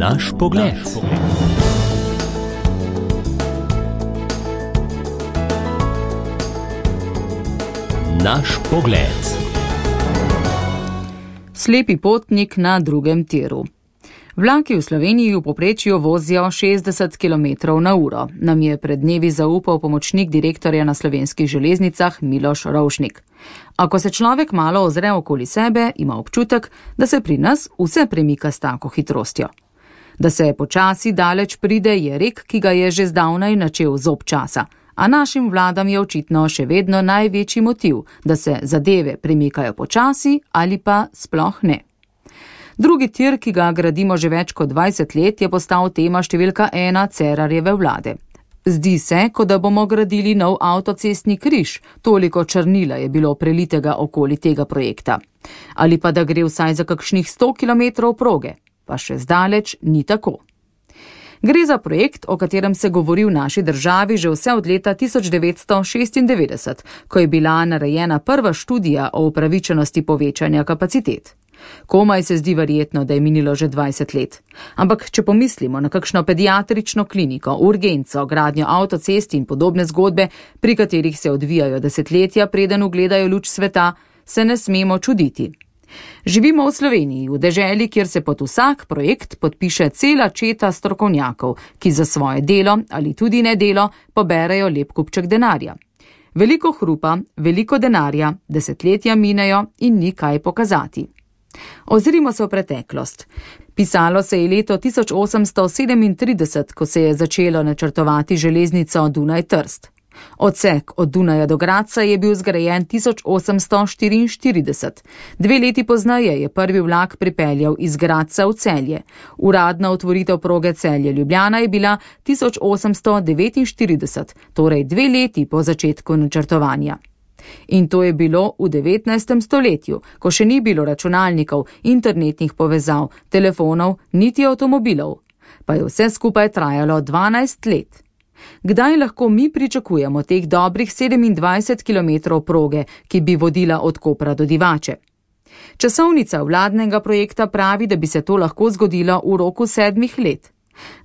Naš pogled. Naš pogled. Slepi potnik na drugem tiru. Vlaki v Sloveniji v povprečju vozijo 60 km/h, nam je pred dnevi zaupal pomočnik direktorja na Slovenskih železnicah Miloš Rovšnik. Ako se človek malo ozre okoli sebe, ima občutek, da se pri nas vse premika s tako hitrostjo. Da se počasi daleč pride, je rek, ki ga je že zdavnaj načel zob časa, a našim vladam je očitno še vedno največji motiv, da se zadeve premikajo počasi ali pa sploh ne. Drugi tir, ki ga gradimo že več kot 20 let, je postal tema številka 1 Cerarjeve vlade. Zdi se, kot da bomo gradili nov avtocestni križ, toliko črnila je bilo prelitega okoli tega projekta. Ali pa da gre vsaj za kakšnih 100 km proge, pa še zdaleč ni tako. Gre za projekt, o katerem se govori v naši državi že vse od leta 1996, ko je bila narejena prva študija o upravičenosti povečanja kapacitet. Komaj se zdi verjetno, da je minilo že 20 let. Ampak če pomislimo na kakšno pediatrično kliniko, urgenco, gradnjo avtocest in podobne zgodbe, pri katerih se odvijajo desetletja, preden ugledajo luč sveta, se ne smemo čuditi. Živimo v Sloveniji, v deželi, kjer se pod vsak projekt podpiše cela četa strokovnjakov, ki za svoje delo ali tudi nedelo poberejo lep kupček denarja. Veliko hrupa, veliko denarja, desetletja minejo in ni kaj pokazati. Ozrimo se v preteklost. Pisalo se je leto 1837, ko se je začelo načrtovati železnico Dunaj-Trst. Odsek od Dunaja do Gradca je bil zgrajen 1844. 2 leti pozneje je prvi vlak pripeljal iz Gradca v Celje. Uradna otvoritev proge Celje-Ljubljana je bila 1849, torej 2 leti po začetku načrtovanja. In to je bilo v 19. stoletju, ko še ni bilo računalnikov, internetnih povezav, telefonov, niti avtomobilov. Pa je vse skupaj trajalo 12 let. Kdaj lahko mi pričakujemo teh dobrih 27 km proge, ki bi vodila od Kopra do Divače? Časovnica vladnega projekta pravi, da bi se to lahko zgodilo v roku 7 let.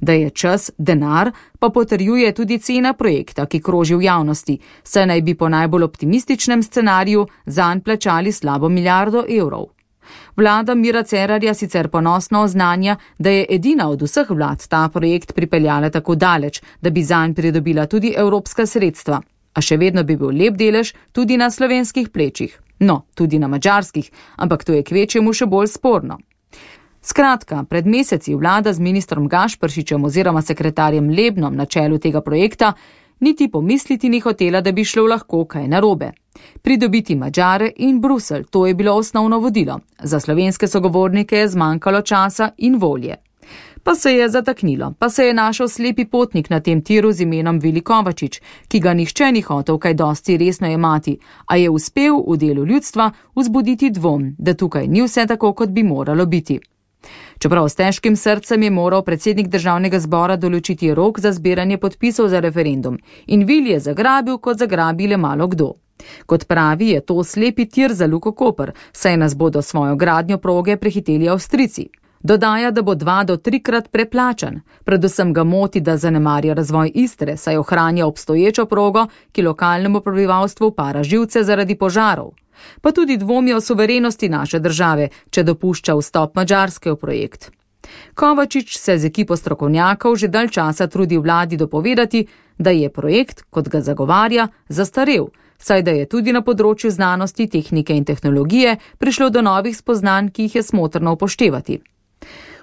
Da je čas denar, pa potrjuje tudi cena projekta, ki kroži v javnosti, saj naj bi po najbolj optimističnem scenariju zanj plačali slabo 1 milijardo evrov. Vlada Mira Cerarja sicer ponosno oznanja, da je edina od vseh vlad ta projekt pripeljala tako daleč, da bi zanj pridobila tudi evropska sredstva, a še vedno bi bil lep delež tudi na slovenskih plečih, no, tudi na madžarskih, ampak to je kvečjemu še bolj sporno. Skratka, pred meseci vlada z ministrom Gašperšičem oziroma sekretarjem Lebnom na čelu tega projekta niti pomisliti ni hotela, da bi šlo lahko kaj narobe. Pridobiti Madžare in Bruselj, to je bilo osnovno vodilo. Za slovenske sogovornike je zmanjkalo časa in volje. Pa se je zataknilo, pa se je našel slepi potnik na tem tiru z imenom Vili Kovačič, ki ga nihče ni hotel kaj dosti resno jemati, a je uspel v delu ljudstva vzbuditi dvom, da tukaj ni vse tako, kot bi moralo biti. Čeprav s težkim srcem je moral predsednik državnega zbora določiti rok za zbiranje podpisov za referendum in Vili je zagrabil, kot zagrabi le malo kdo. Kot pravi, je to slepi tir za Luko Koper, saj nas bodo svojo gradnjo proge prehiteli Avstrijci. Dodaja, da bo 2 do 3-krat preplačan. Predvsem ga moti, da zanemarja razvoj Istre, saj ohranja obstoječo progo, ki lokalnemu prebivalstvu para živce zaradi požarov. Pa tudi dvomi o suverenosti naše države, če dopušča vstop Madžarske v projekt. Kovačič se z ekipo strokovnjakov že dalj časa trudi vladi dopovedati, da je projekt, kot ga zagovarja, zastarel, saj da je tudi na področju znanosti, tehnike in tehnologije prišlo do novih spoznanj, ki jih je smotrno upoštevati.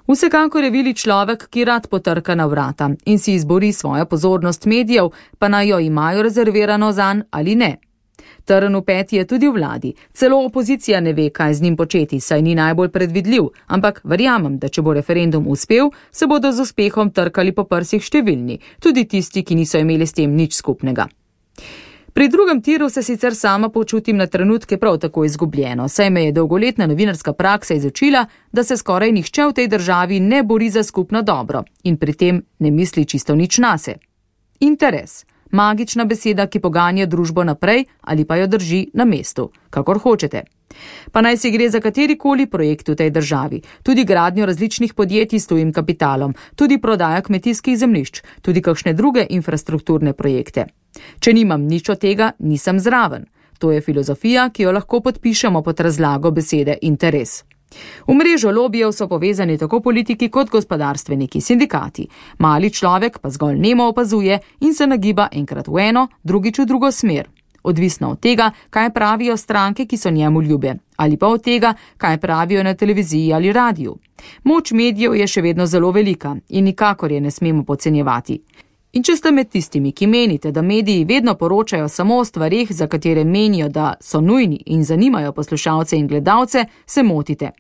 Vsekakor je Vili človek, ki rad potrka na vrata in si izbori svojo pozornost medijev, pa naj jo imajo rezervirano zanj ali ne. Trn v peti je tudi v vladi. Celo opozicija ne ve, kaj z njim početi, saj ni najbolj predvidljiv, ampak verjamem, da če bo referendum uspel, se bodo z uspehom trkali po prsih številni, tudi tisti, ki niso imeli s tem nič skupnega. Pri drugem tiru se sicer sama počutim na trenutke prav tako izgubljeno, saj me je dolgoletna novinarska praksa izučila, da se skoraj nihče v tej državi ne bori za skupno dobro in pri tem ne misli čisto nič nase. Interes. Magična beseda, ki poganja družbo naprej ali pa jo drži na mestu, kakor hočete. Pa naj si gre za katerikoli projekt v tej državi, tudi gradnjo različnih podjetij s tujim kapitalom, tudi prodaja kmetijskih zemljišč, tudi kakšne druge infrastrukturne projekte. Če nimam nič od tega, nisem zraven. To je filozofija, ki jo lahko podpišemo pod razlago besede interes. V mrežo lobijev so povezani tako politiki kot gospodarstveniki, sindikati. Mali človek pa zgolj nemo opazuje in se nagiba enkrat v eno, drugič v drugo smer. Odvisno od tega, kaj pravijo stranke, ki so njemu ljube, ali pa od tega, kaj pravijo na televiziji ali radiju. Moč medijev je še vedno zelo velika in nikakor je ne smemo podcenjevati. In če ste med tistimi, ki menite, da mediji vedno poročajo samo o stvareh, za katere menijo, da so nujni in zanimajo poslušalce in gledalce, se motite.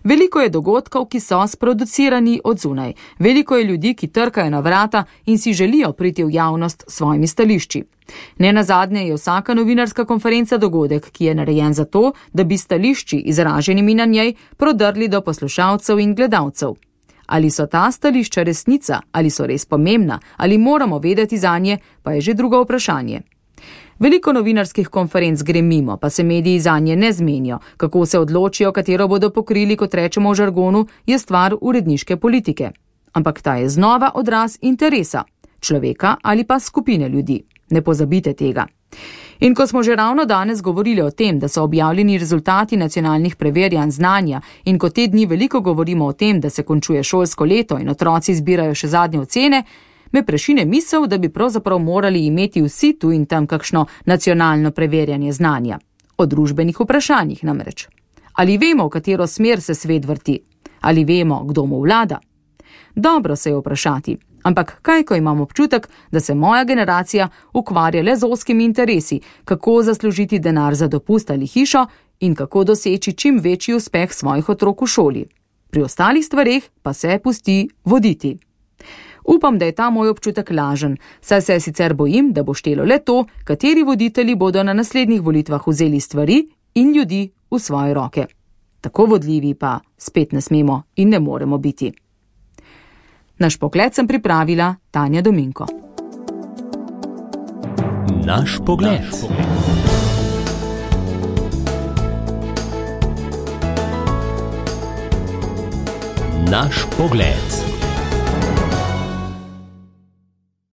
Veliko je dogodkov, ki so sproducirani od zunaj. Veliko je ljudi, ki trkajo na vrata in si želijo priti v javnost s svojimi stališči. Nenazadnje je vsaka novinarska konferenca dogodek, ki je narejen za to, da bi stališči izraženimi na njej prodrli do poslušalcev in gledalcev. Ali so ta stališča resnica, ali so res pomembna, ali moramo vedeti zanje, pa je že drugo vprašanje. Veliko novinarskih konferenc gre mimo, pa se mediji zanje ne zmenijo. Kako se odločijo, katero bodo pokrili, kot rečemo v žargonu, je stvar uredniške politike. Ampak ta je znova odraz interesa, človeka ali pa skupine ljudi. Ne pozabite tega. In ko smo že ravno danes govorili o tem, da so objavljeni rezultati nacionalnih preverjanj znanja in ko te dni veliko govorimo o tem, da se končuje šolsko leto in otroci zbirajo še zadnje ocene, me prešine misel, da bi pravzaprav morali imeti vsi tu in tam kakšno nacionalno preverjanje znanja. O družbenih vprašanjih namreč. Ali vemo, v katero smer se svet vrti? Ali vemo, kdo mu vlada? Dobro se je vprašati. Ampak kaj, ko imam občutek, da se moja generacija ukvarja le z ozkimi interesi, kako zaslužiti denar za dopust ali hišo in kako doseči čim večji uspeh svojih otrok v šoli. Pri ostalih stvareh pa se pusti voditi. Upam, da je ta moj občutek lažen, saj se sicer bojim, da bo štelo le to, kateri voditelji bodo na naslednjih volitvah vzeli stvari in ljudi v svoje roke. Tako vodljivi pa spet ne smemo in ne moremo biti. Naš pogled sem pripravila Tanja Dominko. Naš pogled. Naš pogled.